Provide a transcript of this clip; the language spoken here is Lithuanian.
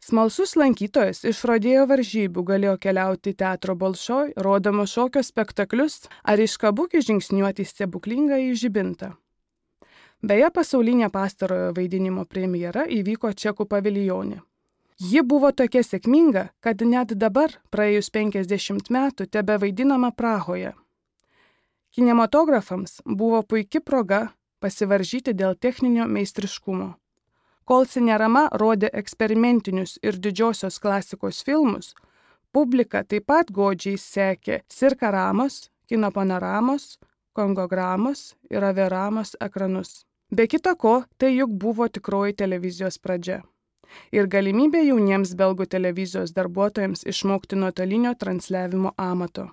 Smalsus lankytojas iš rodėjo varžybų galėjo keliauti į teatro Bolšoj, rodomo šokio spektaklius ar iš Kabuki žingsniuoti į stebuklingą į žibintą. Beje, pasaulinė pastarojo vaidinimo premjera įvyko Čekų paviljone. Ji buvo tokia sėkminga, kad net dabar, praėjus 50 metų, tebevaidinama Prahoje. Kinematografams buvo puiki proga pasivaržyti dėl techninio meistriškumo. Kol Cinerama rodė eksperimentinius ir didžiosios klasikos filmus, publika taip pat godžiai sekė Cirkaramos, Kino panoramos, Kongogramos ir Averamos ekranus. Be kita ko, tai juk buvo tikroji televizijos pradžia. Ir galimybė jauniems belgų televizijos darbuotojams išmokti nuotolinio transliavimo amato.